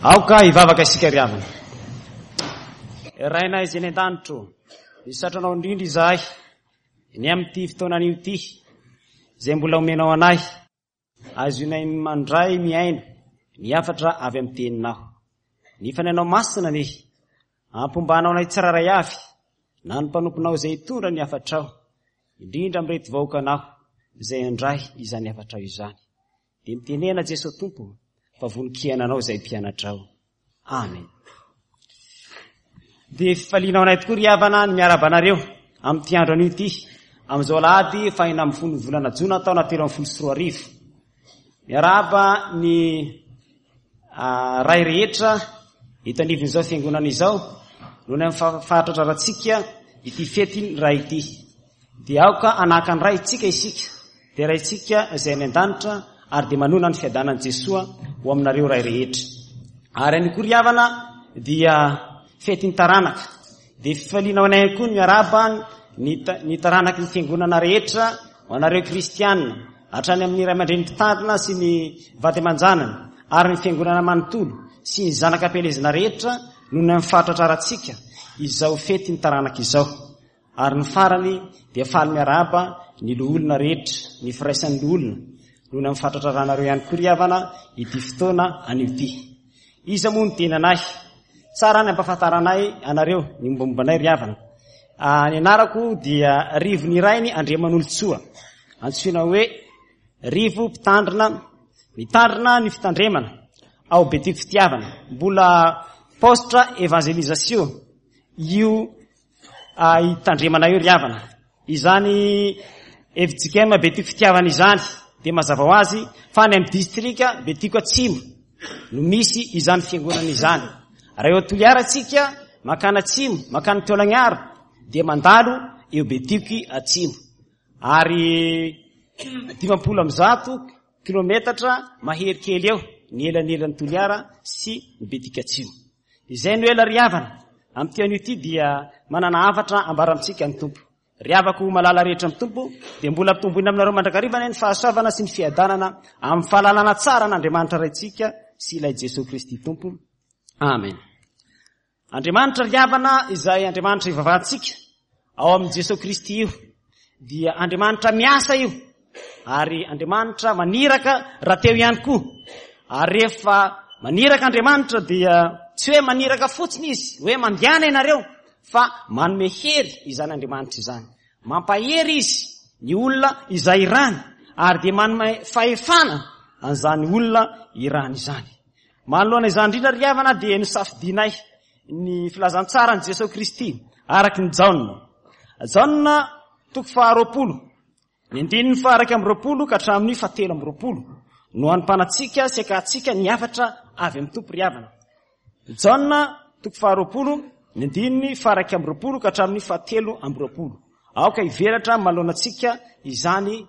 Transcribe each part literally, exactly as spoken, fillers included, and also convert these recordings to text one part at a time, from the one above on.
Aoka hivavaka isika ry havana. Rainay izay any an-danitro, misaotra anao indrindra izahay ny amin'ity fotoana anio ity izay mbola omenao anay, azonay mandray miaina ny hafatra avy amin'ny teninao. Ny Fanahinao Masina anie ampombanao anay tsirairay avy na ny mpanomponao izay hitondra ny hafatrao, indrindra amin'ireto vahoakanao izay handray izany hafatrao izany. Dia mitenena Jesoa Tompo fa vonon-kiainanao izay mpianatrao. Amen. Dia fifaliana ho anay tokoa ry havana ny miarahaba anareo amin'ity andro anio ity, amin'izao alahady fahenina ambin'ny folo volana jona taona telo ambin'ny folo sy roa arivo. Miarahaba ny ray rehetra eto anivon'izao fiangonana izao noho ny amin'ny fahatratrarantsika ity fety ny ray ity. Dia aoka hanahaka ny Raintsika isika, dia Raintsika izay any an-danitra, ary dia manona ny fiadanan'i Jesoa ho aminareo ray rehetra. Ary any koa ry havana dia fetin'ny taranaka. Dia fifaliana ho anay ihany koa ny miarahaba ny ny taranaky ny fiangonana rehetra, ho anareo kristianina, hatrany amin'ny ray aman-dreny mpitandrina sy ny vady aman-janany, ary ny fiangonana manontolo sy ny zanaka am-pielezana rehetra noho ny amin'ny fahatratrarantsika izao fetin'ny taranaka izao. Ary ny farany dia faly miarahaba ny loholona rehetra, ny firaisan'ny loholona, noho ny amin'ny fahatratraranareo ihany koa ry havana ity fotoana anio ity. Iza moa no tenanay? Tsara ny ampahafantaranay anareo ny mombamomba anay ry havana. Ny anarako dia Rivo Nirainy Andriamanolotsoa, antsoina hoe Rivo Mpitandrina, mitandrina ny fitandremana ao Betioky Fitiavana. Mbola paositra evangelisation io hitandremana io ry havana. Izany F J K M Betioky Fitiavana izany dia mazava ho azy fa any amin'ny distrika Betioky Atsimo no misy izany fiangonana izany. Raha eo Toliara tsika mankany Atsimo, mankany Taolagnaro, dia mandalo eo Betioky Atsimo. Ary dimampolo amby zato kilometatra mahery kely eo ny elanelan'ny Toliara sy ny Betioky Atsimo. Izay no ela ry havana. Amin'ity anio ity dia manana hafatra ambara amintsika ny Tompo. Ry havako malala rehetra amin'ny Tompo, dia mbola ampitomboina aminareo mandrakariva ny fahasoavana sy ny fiadanana amin'ny fahalalana tsara an'Andriamanitra Raintsika sy ilay Jesoa Kristy Tompo. Amen. Andriamanitra ry havana izay Andriamanitra ivavahantsika ao amin'i Jesoa Kristy io, dia Andriamanitra miasa io, ary Andriamanitra maniraka raha teo ihany koa. Ary rehefa maniraka Andriamanitra dia tsy hoe maniraka fotsiny izy, hoe mandehana ianareo, fa manome hery izany Andriamanitra izany. Mampahery izy ny olona izay irany, ary dia manome fahefana an'izany olona irany izany. Manoloana izany indrindra ry havana dia nosafidinay ny filazantsaran'i Jesoa Kristy araka ny Jaona. Jaona toko faharoapolo, ny andininy faha-iraika amby roapolo ka hatramin'ny fahatelo amby roapolo no hanompanantsika sy hakahantsika ny hafatra avy amin'ny Tompo ry havana. Jaona toko faharoapolo, ny andininy faha-iraika amby roapolo ka hatramin'ny fahatelo amby roapolo. Aoka hivelatra manoloana antsika izany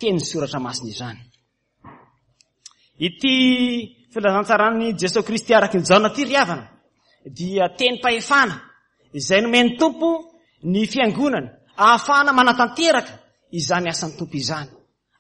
teny soratra masina izany. Ity filazantsaran'i Jesoa Kristy araka ny Jaona ity ry havana dia tenim-pahefana izay nomen'ny Tompo ny fiangonana ahafahana manatanteraka izany asan'ny Tompo izany.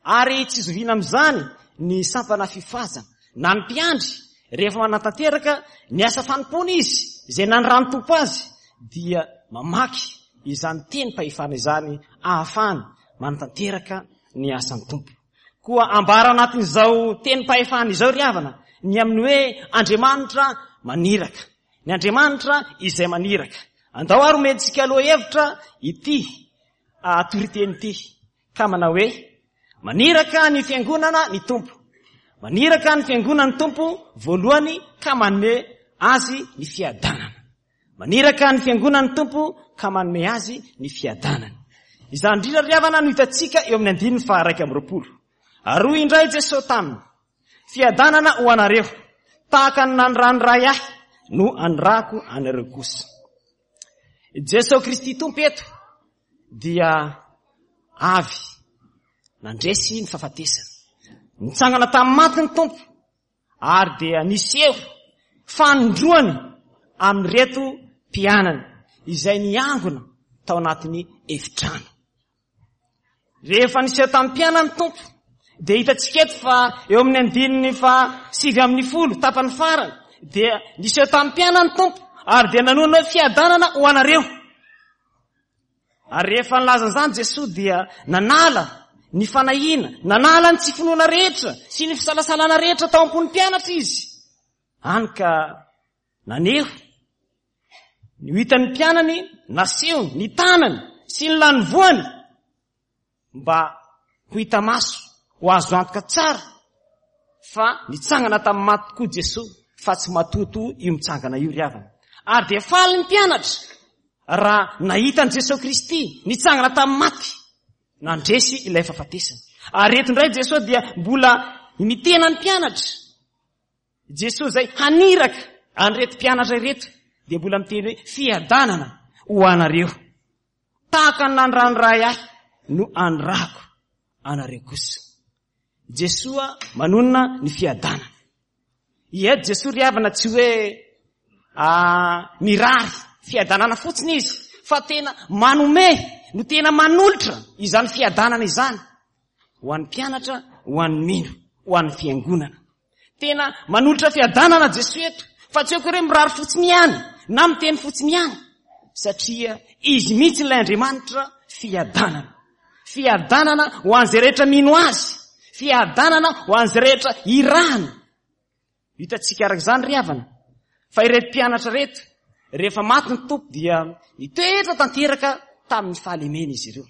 Ary tsy zoviana amin'izany ny sampana fifazana na ny mpiandry rehefa manatanteraka ny asa fanompoana izy izay nanoran'ny Tompo azy dia mamaky izany tenim-pahefana izany ahafahana manatanteraka ny asan'ny Tompo. Koa ambara anatin'izao tenim-pahefana izao ry havana ny amin'ny hoe Andriamanitra maniraka. Ny Andriamanitra izay maniraka. Andao ary omentsika lohahevitra ity toriteny ity ka manao hoe maniraka ny fiangonana ny Tompo. Maniraka ny fiangonana ny Tompo voalohany ka manome azy ny fiadanana. Maniraka ny fiangonana ny Tompo ka manome azy ny fiadanana. Izany indrindra ry havana no hitantsika eo amin'ny andininy faha-iraika amby roapolo. Ary hoy indray Jesoa taminy, fiadanana ho anareo, tahaka ny nanoran'ny Ray ahy no anirahako anareo kosa. Jesoa Kristy Tompo eto dia avy nandresy ny fahafatesana. Nitsangana tamin'ny maty ny Tompo ary dia niseho fanindroany amin'ireto mpianany izay niangona tao anatin'ny efitrano. Rehefa niseho tamin'ny mpianany Tompo dia hitantsika eto fa eo amin'ny andininy fa sivy amin'ny folo tapany farany dia niseho tamin'ny mpianany Tompo ary dia nanonona hoe fiadanana ho anareo. Ary rehefa nilaza an'izany Jesoa dia nanala ny fanahiana, nanala ny tsy finoana rehetra sy ny fisalasalana rehetra tao am-pon'ny mpianatra izy. Hany ka naneho ny ho hitan'ny mpianany, nasehony ny tanany sy ny lanivoany mba ho hita maso, ho azo antoka tsara fa nitsangana tamin'ny maty tokoa Jesoa, fa tsy matotoa io mitsangana io ry havana. Ary dia faly ny mpianatra raha nahita an'i Jesoa Kristy nitsangana tamin'ny maty, nandresy ilay fahafatesana. Ary eto indray Jesoa dia mbola mitena ny mpianatra. Jesoa izay haniraka an'ireto mpianatra ireto dia mbola miteny hoe fiadanana ho anareo. Tahaka ny nandrany Ray ahy no andrako anareo kosa. Jesoa manonona ny fiadanana. Eto Jesoa ry havana tsy hoe mirary fiadanana fotsiny izy, fa tena manome no tena manolotra izany fiadanana izany ho an'ny mpianatra, ho an'ny mino, ho an'ny fiangonana. Tena manolotra fiadanana Jesoa eto, fa tsy hoe koa hoe mirary fotsiny ihany na miteny fotsiny ihany, satria izy mihitsy ilay Andriamanitra fiadanana. Fiadanana ho an'izay rehetra mino azy, fiadanana ho an'izay rehetra irahana. Hitantsika araka izany ry havana, fa ireto mpianatra ireto rehefa maty ny Tompo dia nitoetra tanteraka tamin'ny fahalemena izy ireo.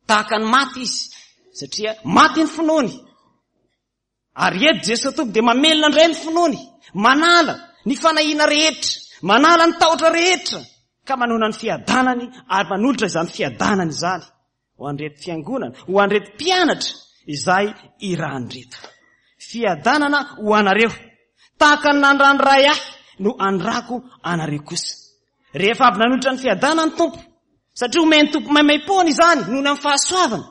Tahaka ny maty izy, satria maty ny finoany. Ary eto Jesoa Tompo dia mamelona indray ny finoany, manala ny fanahiana rehetra, manala ny tahotra rehetra, ka manona ny fiadanany ary manolotra izany fiadanany izany ho an'ireto fiangonana, ho an'ireto mpianatra izay irahan'ireto. Fiadanana ho anareo, tahaka ny nandrany Ray ahy no andrako anareo kosa. Rehefa avy nanolotra ny fiadanana ny Tompo, satria omen'ny Tompo maimaim-poana izany noho ny amin'ny fahasoavana,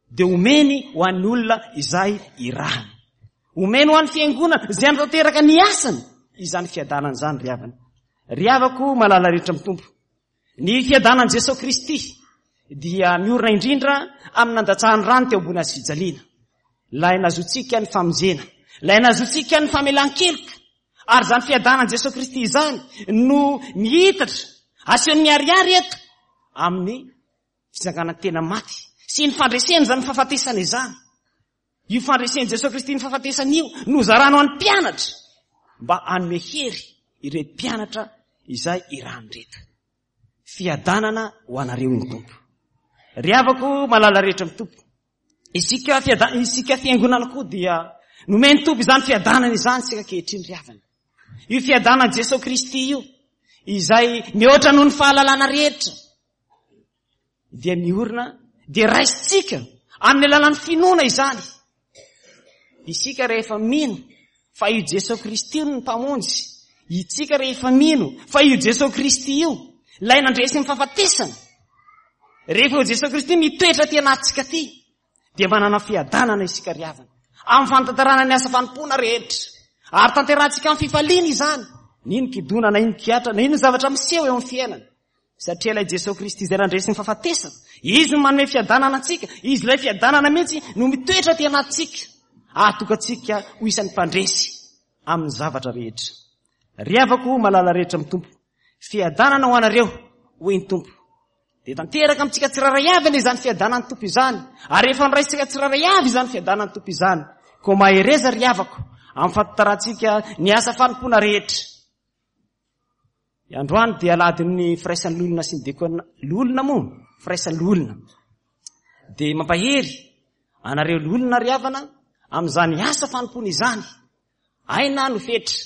dia omeny ho an'ny olona izay irahany. Omeny ho an'ny fiangonana izay hanatanteraka ny asany izany fiadanana izany ry havana. Ry havako malala rehetra amin'ny Tompo, ny fiadanan'i Jesoa Kristy dia miorina indrindra amin'ny nandatsahany rano teo ambony hazo fijaliana. Ilay nahazoantsika ny famonjena, ilay nahazoantsika ny famelan-keloka. Ary izany fiadanan'i Jesoa Kristy izany no mihitatra, asehony miharihary eto amin'ny fitsanganan-tena maty sy ny fandresena izany fahafatesana izany. Io fandresen'i Jesoa Kristy ny fahafatesana io no zarano an'ny mpianatra mba hanome hery ireto mpianatra izay irahan'ireto. Fiadanana ho anareo ny Tompo. Ry havako malala rehetra amin'ny Tompo, isika fiada-, isika fiangonana koa dia nomen'ny Tompo izany fiadanana izany isika ankehitriny ry havana. Io fiadanan'i Jesoa Kristy io izay mihoatra noho ny fahalalana rehetra dia miorina, dia raisintsika amin'ny alalan'ny finoana izany. Isika rehefa mino fa io Jesoa Kristy io no mpamonjy, isika rehefa mino fa io Jesoa Kristy io ilay nandresy ny fahafatesana, rehefa io Jesoa Kristy mitoetra aty anatintsika aty, dia manana fiadanana isika ry havana amin'ny fanatanterahana ny asa fanompoana rehetra, ary tanterahantsika amin'ny fifaliana izany, na ino kidona na ino kiatra na ino zavatra miseho eo amin'ny fiainana, satria ilay Jesoa Kristy izay nandresy ny fahafatesana, izy no manome fiadanana antsika, izy ilay fiadanana mihitsy no mitoetra aty anatintsika, ahatonga antsika ho isan'ny mpandresy amin'ny zavatra rehetra. Ry havako malala rehetra amin'ny Tompo, fiadanana ho anareo, hoy ny Tompo. Dia tanteraka amintsika tsirairay avy anie izany fiadanan'ny Tompo izany, ary efa niraisintsika tsirairay avy izany fiadanan'ny Tompo izany. Koa mahereza ry havako amin'ny fahatanterantsika ny asa fanompoana rehetra. Androany dia alahadin'ny firaisan'ny loholona sy ny diakona, loholona moa, firaisan'ny loholona. Dia mampahery anareo loholona ry havana amin'izany asa fanompoana izany. Aina no fetra,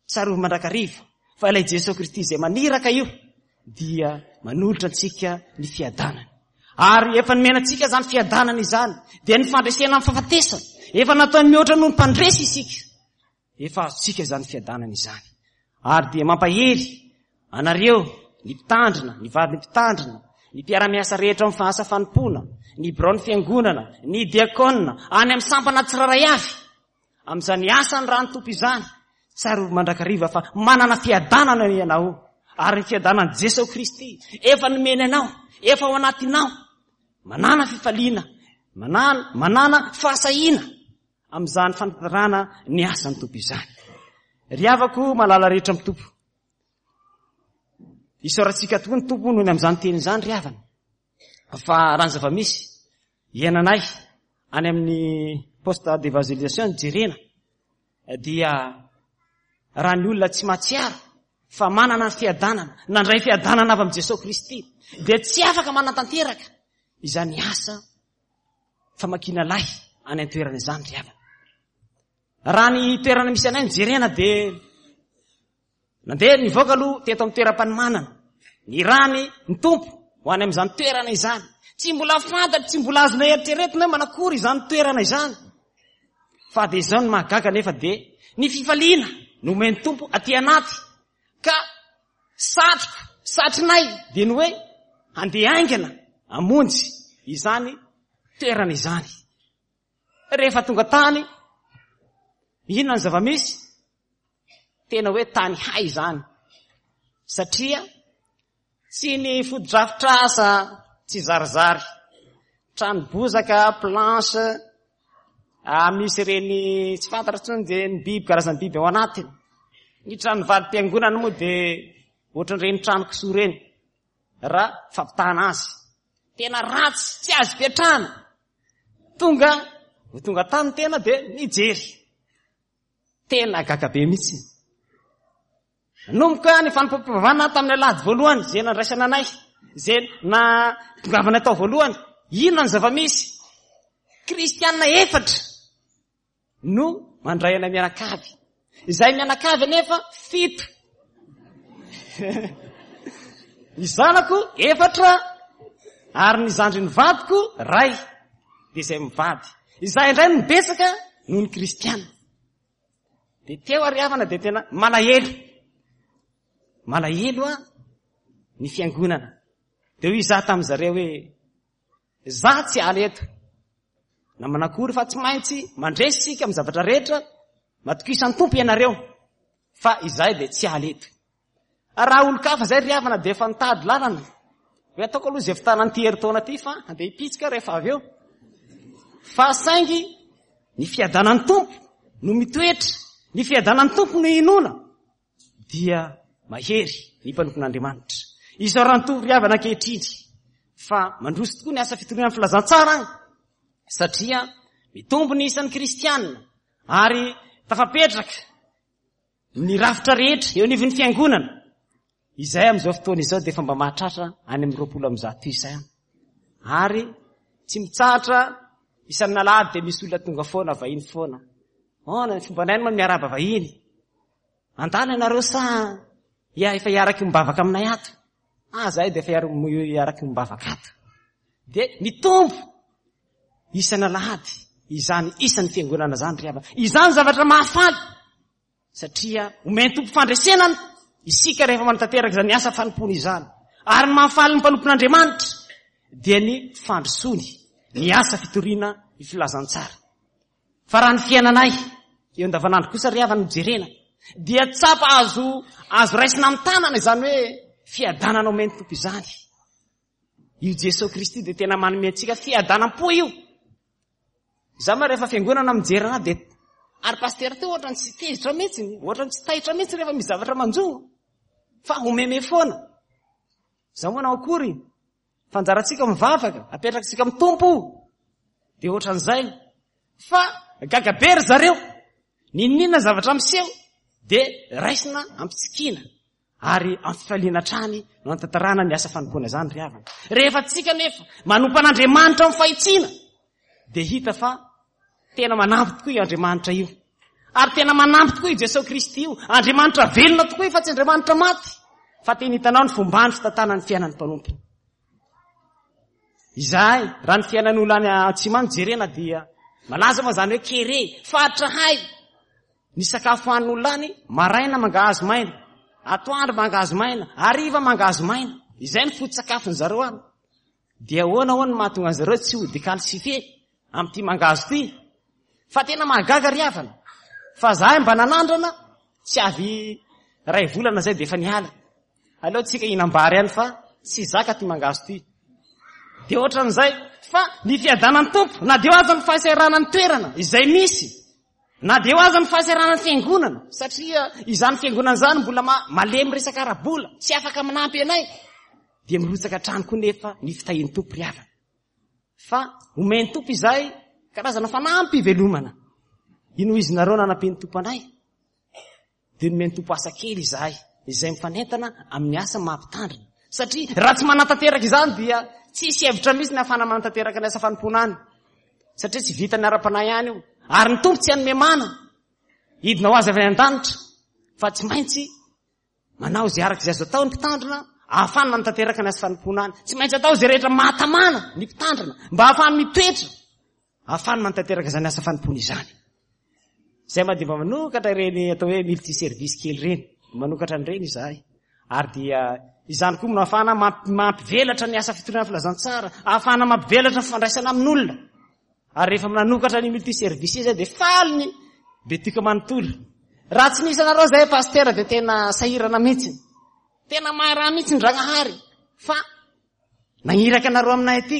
tsarovy mandrakariva fa ilay Jesoa Kristy izay maniraka io dia manolotra antsika ny fiadanana. Ary efa nomena antsika izany fiadanana izany, dia ny fandresena amin'ny fahafatesana. Efa nataony mihoatra noho ny mpandresy isika. Efa azontsika izany fiadanana izany. Ary dia mampahery anareo, ny mpitandrina, ny vadin'ny mpitandrina, ny mpiara-miasa rehetra amin'ny asa fanompoana, ny biraon'ny fiangonana, ny diakona, any amin'ny sampana tsirairay avy. Amin'izany asan'ny rano Tompo izany, tsarovy mandrakariva fa manana fiadanana ianao, ary ny fiadanan'i Jesoa Kristy efa nomeny anao, efa ao anatinao. Manana fifaliana, manana, manana fahasahiana amin'izany fanatanterahana ny asan'ny Tompo izany. Ry havako malala rehetra amin'ny Tompo, isaorantsika tokoa ny Tompo noho ny amin'izany teny izany ry havana. Fa raha ny zava-misy iainanay any amin'ny poste d'évangélisation jerena dia raha ny olona tsy mahatsiaro fa manana ny fiadanana, nandray fiadanana avy amin'i Jesosy Kristy, dia tsy afaka manatanteraka izany asa famakiana lay any an-toerana izany ry havana. Raha ny toerana misy anay ny jerena dia nandeha nivoaka aloha teto amin'ny toeram-panomanana, ny rany ny Tompo ho any amin'izany toerana izany. Tsy mbola fantatra, tsy mbola azonay eritreretina hoe manakory izany toerana izany. Fa dia izao no mahagaga nefa dia ny fifaliana no omen'ny Tompo aty anaty, ka satriko, satrinay dia ny hoe handeha haingana hamonjy izany toerana izany. Rehefa tonga tany, inona ny zava-misy? Tena hoe tany hay izany, satria tsy ny fotodrafitrasa tsy zarizary, trano bozaka, planche, ah, misy ireny tsy fantatra intsony dia ny biby, karazan'ny biby ao anatiny. Ny trano valim-piangonana moa dia ohatran'ireny trano kisoa ireny raha fampitahana azy. Tena ratsy, tsy azo ipetrahana. Tonga, ho tonga tany tena dia nijery. Tena gaga be mihitsy. Nanomboka ny fanompoam-pivavahana tamin'ny alahady voalohany izay nandraisana anay, izay natongavana tao voalohany. Inona ny zava-misy? Kristianina efatra no mandray anay mianakavy. Izay mianakavy anefa fito. Ny zanako efatra ary ny zandrin'ny vadiko ray, dia izay mivady. Izay indray no betsaka noho ny kristianina. Dia teo ary havana dia tena malahelo. Malahelo a ny fiangonana. Dia hoy izaho tamin'ny zareo hoe za tsy ala eto. Na manakory fa tsy maintsy mandresy isika amin'ny zavatra rehetra, matokisan'ny Tompo ianareo, fa izahay dia tsy ala eto. Raha olon-kafa izay ry havana dia efa nitady lalana. Hoe ataoko aloha izay fitanan'ity herintaona ity fa handeha hipitsika rehefa avy eo. Fa saingy ny fiadanan'ny Tompo no mitoetra, ny fiadanan'ny Tompo no inoana, dia mahery ny mpanompon'Andriamanitra. Isaoran'ny Tompo ry havana ankehitriny fa mandroso tokoa ny asa fitoriana ny filazantsara any, satria mitombo ny isan'ny kristianina ary tafapetraka ny rafitra rehetra eo anivon'ny fiangonana. Izay amin'izao fotoana izao dia efa mba mahatratra any amin'ny roapolo amby zato isa ihany. Ary tsy mitsahatra isan'ny alahady dia misy olona tonga foana, vahiny foana. Oh, ny fombanay moa miarahaba vahiny. Andana ianareo sa ia efa hiaraky mivavaka aminay ato? Ah, zahay dia efa hiaraky mivavaka ato. Dia mitombo isan'alahady izany isan'ny fiangonana izany ry havana. Izany zavatra mahafaly, satria omen'ny Tompo fandresena isika rehefa manatanteraka izany asa fanompoana izany. Ary ny mahafaly ny mpanompon'Andriamanitra dia ny fandrosoany ny asa fitoriana ny filazantsara. Fa raha ny fiainanay eo andavanandro kosa ry havana no jerena, dia tsapa azo, azo raisina amin'ny tanana izany hoe fiadanana omen'ny Tompo izany. Io Jesosy Kristy dia tena manome antsika fiadanam-po io. Izaho moa rehefa fiangonana mijery anahy dia ary pasitera teo ohatrany tsy tezitra mihitsy, ohatrany tsy taitra mihitsy rehefa misy zavatra manjo, fa homeme foana. Izaho moa nanao akory, fa anjarantsika mivavaka, apetrakitsika amin'ny Tompo. Dia ohatran'izay. Fa gaga be ry zareo, n'inon'inona zavatra miseho dia raisina ampitsikiana ary amin'ny fifaliana hatrany no anatanterahana ny asa fanompoana izany ry havana. Rehefa tsika nefa manompo an'Andriamanitra amin'ny fahitsiana dia hita fa tena manampy tokoa io Andriamanitra io. Ary tena manampy tokoa io Jesosy Kristy io. Andriamanitra velona tokoa io fa tsy Andriamanitra maty. Fa tena hitanao ny fombany fitantanany ny fiainan'ny mpanompony. Izahay, raha ny fiainan'olona any atsimo any jerena dia malaza moa izany hoe kere, faritra hay. Ny sakafo hanin'olona any, maraina mangahazo maina, atoandro mangahazo maina, hariva mangahazo maina. Izay ny foto-tsakafon'ny zareo any. Dia ahoana ahoana no mahatonga an'i zareo tsy ho décalcifié amin'ity mangahazo ity? Fa tena mahagaga ry havana. Fa zahay mba nanandrana, tsy avy ray volana zay dia efa niala. Aleo tsika hihinam-bary ihany fa tsy zaka ty mangahazo ty. Dia ohatran'izay. Fa ny fiadanan'ny Tompo, na dia aza ny fahasahiranan'ny toerana izay misy, Na dia eo aza ny fahasahiranan'ny fiangonana, satria izany fiangonana izany mbola malemy resaka ara-bola, tsy afaka manampy anay, dia mirotsaka hatrany koa nefa ny fitahian'ny Tompo ry havana. Fa omen'ny Tompo izahay karazana fanampy ivelomana. Ino izy nareo nanampian'ny Tompo anay? Dia nomen'ny Tompo asa kely izahay, izay mifanentana amin'ny asa maha-mpitandrina. Satria raha tsy manatanteraka izany dia tsisy hevitra mihitsy ny ahafahana manatanteraka ny asa fanompoana any. Satria tsy vitan'ny ara-panahy ihany io. Ary ny Tompo tsy hanome mana hidina ho azy avy any an-danitra, fa tsy maintsy manao izay araka izay azo atao ny mpitandrina ahafahana manatanteraka ny asa fanompoana any. Tsy maintsy atao izay rehetra mahatamana ny mpitandrina mba ahafahany mitoetra, ahafahany manatanteraka izany asa fanompoana izany. Izay ma dia mba manokatra ireny atao hoe multi service kely ireny, manokatra an'ireny izahay. Ary dia izany koa no ahafahana mampivelatra ny asa fitoriana filazantsara, ahafahana mampivelatra ny fifandraisana amin'olona. Ary rehefa manokatra ny multi service izay dia faly ny Betioka manontolo. Raha tsy nisy anareo izay pasitera dia tena sahirana mihitsy. Tena maharaha mihitsy ny Dragnahary fa nagniraka anareo aminay aty.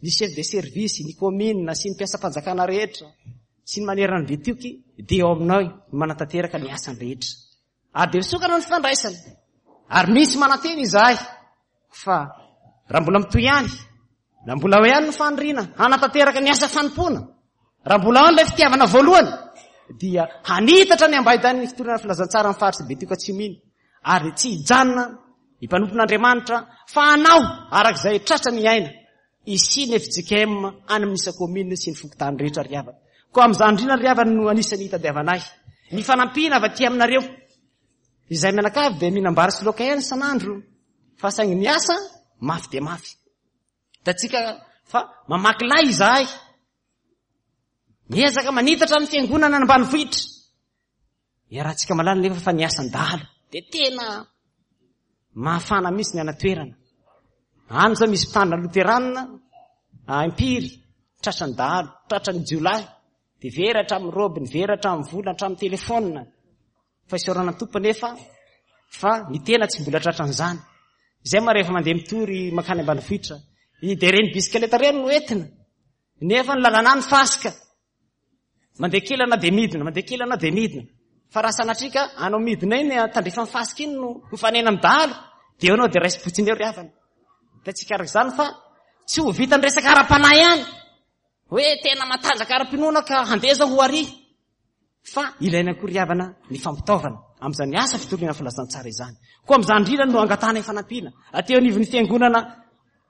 Ny chef de service, ny commune sy ny mpiasam-panjakana rehetra sy ny manerana ny Betioky dia eo aminao ny manatanteraka ny asany rehetra. Ary dia misokatra ny fifandraisana. Ary misy manantena izahay fa raha mbola mitohy ihany, na mbola ao ihany ny faniriana hanatanteraka ny asa fanompoana, raha mbola ao ilay fitiavana voalohany, dia hanitatra ny ambaidan'ny fitoriana filazantsara amin'ny faritry Betioky Atsimo iny. Ary tsy hijanona ny mpanompon'Andriamanitra fa hanao arak'izay tratra ny aina isi ny F J K M any amin'ny isa-commune sy ny fokontany rehetra ry havana. Koa amin'izany indrindra ry havana no anisan'ny hitadiavanay ny fanampiana avy aty aminareo. Izay mianakavy dia mihinam-bary sy laoka ihany isan'andro, fa saingy ny asa mafy dia mafy. Hitantsika fa mamaky lay izahay, miezaka manitatra ny fiangonana any ambanivohitra. Iarahantsika malala nefa fa ny asan-dahalo dia tena mahafana mihitsy ny anatoerana. Any izao misy mpitandrina loteranina impiry, tratran'ny dahalo, tratran'ny jiolahy, dia very hatramin'ny robiny, very hatramin'ny vola, hatramin'ny telefônina. Fa isaorana ny Tompo nefa fa ny tena tsy mbola tratran'izany. Izay ma rehefa mandeha mitory mankany ambanivohitra, dia ireny bisikileta ireny no entina, nefa ny lalana ny fasika. Mandeha kely anao dia midina, mandeha kely anao dia midina. Fa raha sanatria ka anao midina iny, tandrifan'ny fasika iny no mifanena amin'ny dahalo, dia eo anao dia raisim-potsiny eo ry havana. Dia tsy araka izany fa tsy ho vitan'ny resaka ara-panahy ihany, hoe tena matanjaka ara-pinoana ka handeha zao ho ary. Fa ilaina koa ry havana ny fampitaovana amin'izany asa fitoriana filazantsara izany. Koa amin'izany indrindra no angatahana fanampiana aty anivon'ny fiangonana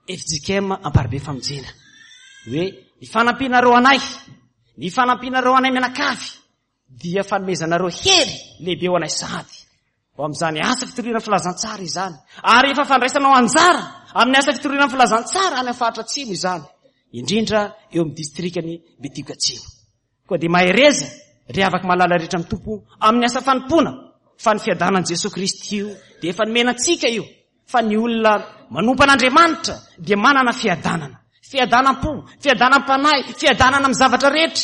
F J K M Amparibe Famonjena. Hoe ny fanampianareo anay, ny fanampianareo anay mianakavy dia fanomezanareo hery lehibe ho anay sahady. Ho amin'izany asa fitoriana filazantsara izany. Ary efa fandraisanao anjara amin'ny asa fitoriana filazantsara any amin'ny faritra Atsimo izany, indrindra eo amin'ny distrikan'i Betioky Atsimo. Koa dia mahereza ry havako malala rehetra amin'ny Tompo amin'ny asa fanompoana, fa ny fiadanan'i Jesoa Kristy io dia efa nomena antsika io, fa ny olona manompo an'Andriamanitra dia manana fiadanana, fiadanam-po, fiadanam-panahy, fiadanana amin'ny zavatra rehetra.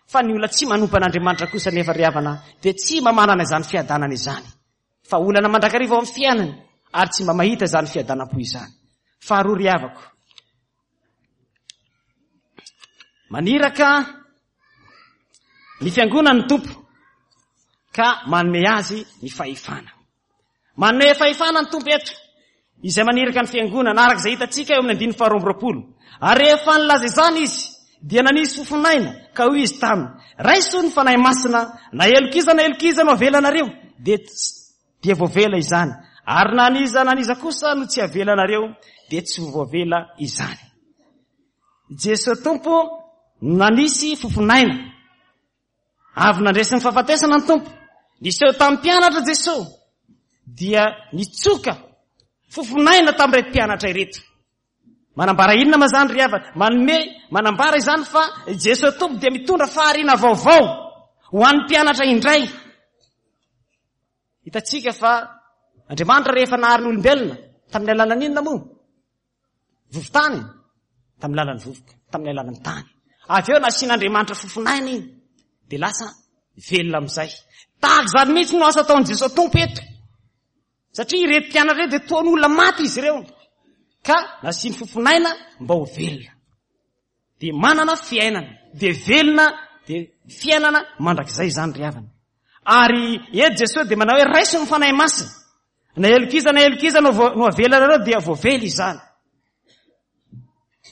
Fa ny olona tsy manompo an'Andriamanitra kosa nefa ry havana dia tsy mba manana izany fiadanana izany, fa olana mandrakariva ao amin'ny fiainany ary tsy mba mahita izany fiadanam-po izany. Faharoa ry havako, maniraka ny fiangonan'ny Tompo ka manome azy ny fahefana. Manome fahefana ny Tompo eto, izay maniraka ny fiangonana araka izay hitantsika eo amin'ny andininy faharoa amby roapolo. Ary rehefa nilaza izany izy, dia nanisy fofonaina, ka hoy izy taminy: raiso ny Fanahy Masina, na heloka iza na heloka iza no avelanareo, dia tsy, dia voavela izany. Ary na n'iza na n'iza kosa no tsy avelanareo, dia tsy ho voavela izany. Jesoa Tompo nanisy fofonaina. Avy nandresy ny fahafatesana ny Tompo, niseho tamin'ny mpianatra Jesoa, dia nitsoka fofonaina tamin'ireto mpianatra ireto. Manambara inona ma zany ry havana? Manome, manambara izany fa Jesoa Tompo dia mitondra fahariana vaovao ho an'ny mpianatra indray. Hitantsika fa Andriamanitra rehefa nahary ny olombelona tamin'ny alalan'ny inona moa? Vovo-tany, tamin'ny alalan'ny vovoka, tamin'ny alalan'ny tany. Avy eo nasian'Andriamanitra fofonaina iny, dia lasa velona amin'izay. Tahaka izany mihitsy no asa ataon'i Jesoa Tompo eto. Satria ireto mpianatra ireto dia toa ny olona maty izy ireo, ka nasiany fofonaina mba ho velona. Dia manana fiainana, dia velona Dia fiainana mandrakizay izany ry havana. Ary eto Jesosy dia manao hoe raiso ny Fanahy Masina. Na heloka iza na heloka iza no no avelanareo dia voavela izany.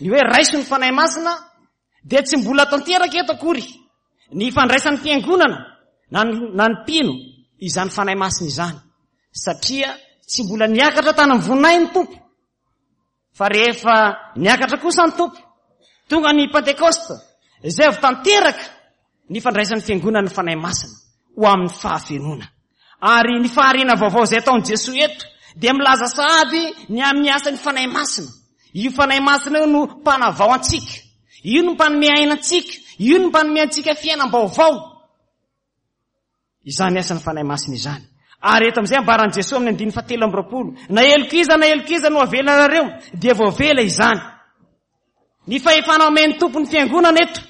Ny hoe raiso ny Fanahy Masina dia tsy mbola tanteraka eto akory ny fandraisan'ny fiangonana na ny, na ny mpino izany Fanahy Masina izany, satria tsy mbola niakatra tany amin'ny voninahiny ny Tompo. Fa rehefa niakatra kosa ny Tompo, tonga ny Pentekosta, izay avy tanteraka ny fandraisan'ny fiangonana ny Fanahy Masina ho amin'ny fahafenoana. Ary ny fahariana vaovao izay ataon'i Jesoa eto dia milaza sahady ny amin'ny asan'ny Fanahy Masina. Io Fanahy Masina io no mpanavao antsika, io no mpanome aina antsika, io no mpanome antsika fiainam-baovao. Izany asan'ny Fanahy Masina izany. Ary eto amin'izay ambaran'i Jesoa amin'ny andininy fahatelo amby roapolo, na heloka iza na heloka iza no avelanareo dia voavela izany. Ny fahefana omen'ny Tompo ny fiangonana eto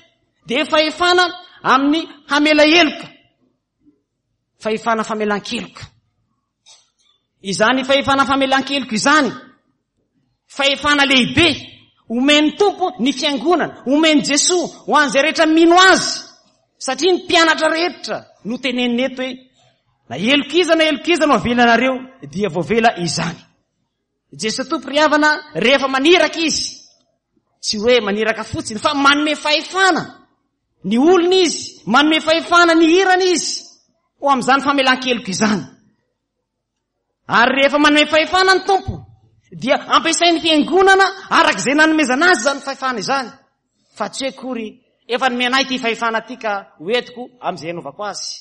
dia fahefana amin'ny hamela heloka, fahefana famelan-keloka. Izany fahefana famelan-keloka izany, fahefana lehibe omen'ny Tompo ny fiangonana, omen'i Jesoa ho an'izay rehetra mino azy, satria ny mpianatra rehetra no teneniny eto hoe na heloka iza na heloka iza no avelanareo dia voavela izany. Jesoa Tompo ry havana rehefa maniraka izy, tsy hoe maniraka fotsiny fa manome fahefana ny olona izy, manome fahefana ny hirany izy ho amin'izany famelan-keloka izany. Ary rehefa manome fahefana ny Tompo dia ampiasain'ny fiangonana araka izay nanomezana azy izany fahefana izany, fa tsy hoe akory efa nomena ahy ity fahefana ity ka hoentiko amin'izay anaovako azy,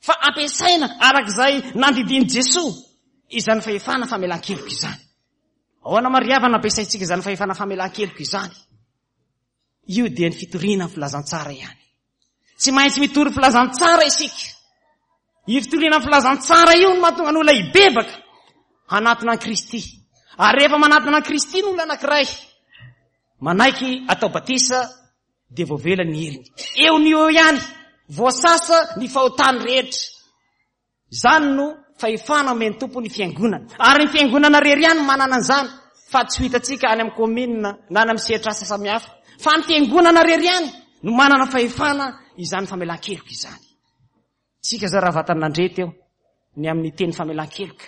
fa ampiasaina araka izay nandidian'i Jesoa izany fahefana famelan-keloka izany. Ahoana moa ry havana ampiasaintsika izany fahefana famelan-keloka izany? Io dia ny fitoriana ny filazantsara ihany. Tsy maintsy mitory filazantsara isika. Io fitoriana ny filazantsara io no mahatonga ny olona hibebaka hanatona an'i Kristy. Ary rehefa manatona an'i Kristy ny olona anankiray, manaiky atao batisa dia voavela ny helony. Eo ny eo ihany, voasasa ny fahotany rehetra. Izany no fahefana omen'ny Tompo ny fiangonana. Ary ny fiangonana rery ihany manana an'izany, fa tsy ho hitantsika any amin'ny commune na any amin'ny sehatr'asa samihafa. Fa ny fiangonana rery ihany no manana fahefana izany famelan-keloka izany. Tsika zao raha vatany nandre teo ny amin'ny teny famelan-keloka,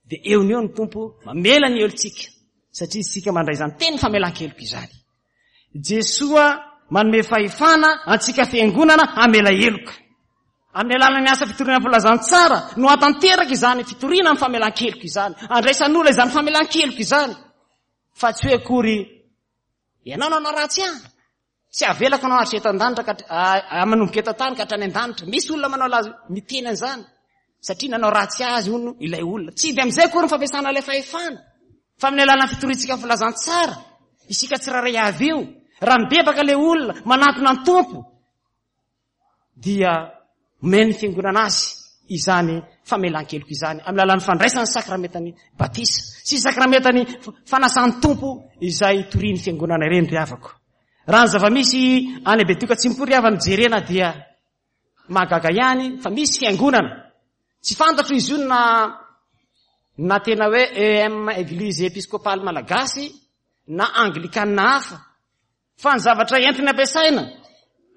dia eo ny eo ny Tompo mamela ny helotsika, satria isika mandray izany teny famelan-keloka izany. Jesoa manome fahefana antsika fiangonana hamela heloka. Amin'ny alalan'ny asa fitoriana filazantsara no hatanteraka izany fitoriana amin'ny famelan-keloka izany, andraisan'olona izany famelan-keloka izany, fa tsy hoe akory ianao nanao ratsy ahy, tsy avelako anao hatreto an-danitra ka hatra-, manomboka eto an-tany ka hatrany an-danitra. Misy olona manao laza miteny an'izany satria nanao ratsy azy hono ilay olona. Tsy dia amin'izay akory ny fampiasana ilay fahefana, fa amin'ny alalan'ny fitoriantsika filazantsara isika tsirairay avy io, raha mibebaka ilay olona manatona ny Tompo dia omeny ny fiangonana azy izany famelan-keloka izany amin'ny alalan'ny fandraisana ny sakramentany batisa sy sakramentany fanasan'ny Tompo izay torian'ny fiangonana ireny ry havako. Raha ny zava-misy any Betioka Atsimo koa ry havana jerena dia mahagaga ihany fa misy fiangonana tsy fantatro izy io na, na tena hoe E M Église Épiscopale Malagasy na Anglikana hafa, fa ny zavatra entiny ampiasaina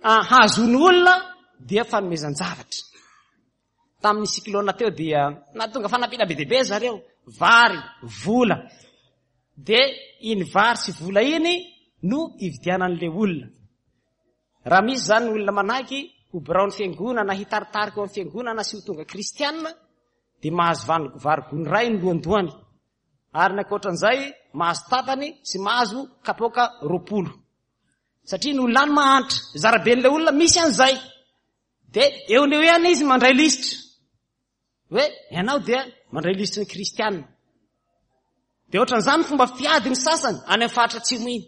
hahazoany olona dia fanomezan-javatra. Tamin'ny cyclone teo dia nahatonga fanampiana be dia be zareo, vary, vola. Dia iny vary sy vola iny no ividianan'ilay olona. Raha misy zany olona manaiky ho biraon'ny fiangonana, hitaritarika ao amin'ny fiangonana sy ho tonga kristianina, dia mahazo van-, vary gony iray ny lohandohany. Ary ny ankoatran'izay mahazo tapany sy mahazo kapoaka roapolo. Satria ny olona any mahantra, zaraben'ilay olona misy an'izay. Dia eo no eo ihany izy mandray lisitra. Hoe ianao dia mandray lisitry ny kristianina. Dia ohatran'izany fomba fiady ny sasany any amin'ny faritra atsimo iny.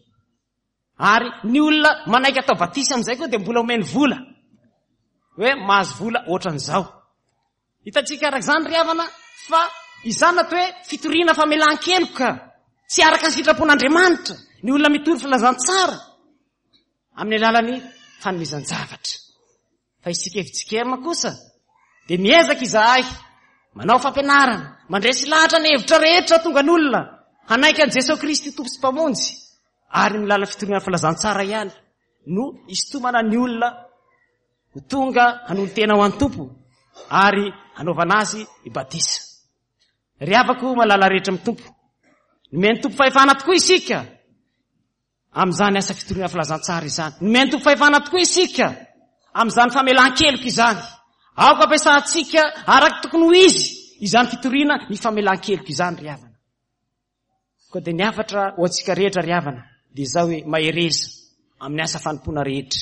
Ary ny olona manaiky atao batisa amin'izay koa dia mbola omeny vola. Hoe mahazo vola ohatran'izao. Hitantsika araka izany ry havana fa izany atao hoe fitoriana famelan-keloka. Tsy araka ny sitrapon'Andriamanitra ny olona mitory filazantsara amin'ny alalan'ny fanomezan-javatra. Fa isika F J K M kosa dia miezaka izahay manao fampianarana, mandresy lahatra ny hevitra rehetra tonga ny olona hanaiky an'i Jesoa Kristy Tompo sy Mpamonjy, ary ny lalan'ny fitoriana filazantsara ihany no isintomana ny olona ho tonga hanolo-tena ho an'ny Tompo ary hanaovana azy batisa. Ry havako malala rehetra amin'ny Tompo, nomen'ny Tompo fahefana tokoa isika amin'izany asa fitoriana filazantsara izany. Nomen'ny Tompo fahefana tokoa isika amin'izany famelan-keloka izany. Aoka ampiasantsika araka tokony ho izy izany fitoriana ny famelan-keloka izany, ry havana. Koa dia ny hafatra ho antsika rehetra, ry havana, dia izao hoe mahereza amin'ny asa fanompoana rehetra.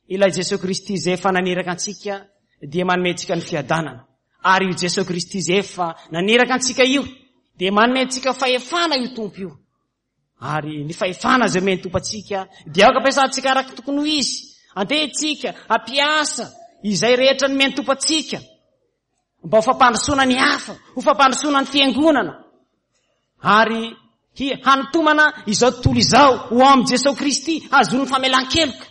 Ilay Jesosy Kristy izay efa naniraka antsika dia manome antsika ny fiadanana. Ary io Jesosy Kristy izay efa naniraka antsika io dia manome antsika fahefana io Tompo io. Ary ny fahefana izay omen'ny Tompo antsika dia aoka ampiasantsika araka tokony ho izy. Andeha isika hampiasa izay rehetra nomen'ny Tompo antsika mba ho fampandrosoana ny hafa, ho fampandrosoana ny fiangonana, ary hanintomana izao tontolo izao ho amin'i Jesosy Kristy hahazoany famelan-keloka.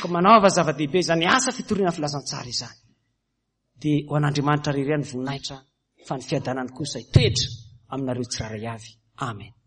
Ka manaova zava-dehibe izany asa fitoriana filazantsara izany. Dia ho an'Andriamanitra irery ihany ny voninahitra, fa ny fiadanany kosa hitoetra aminareo tsirairay avy. Amen.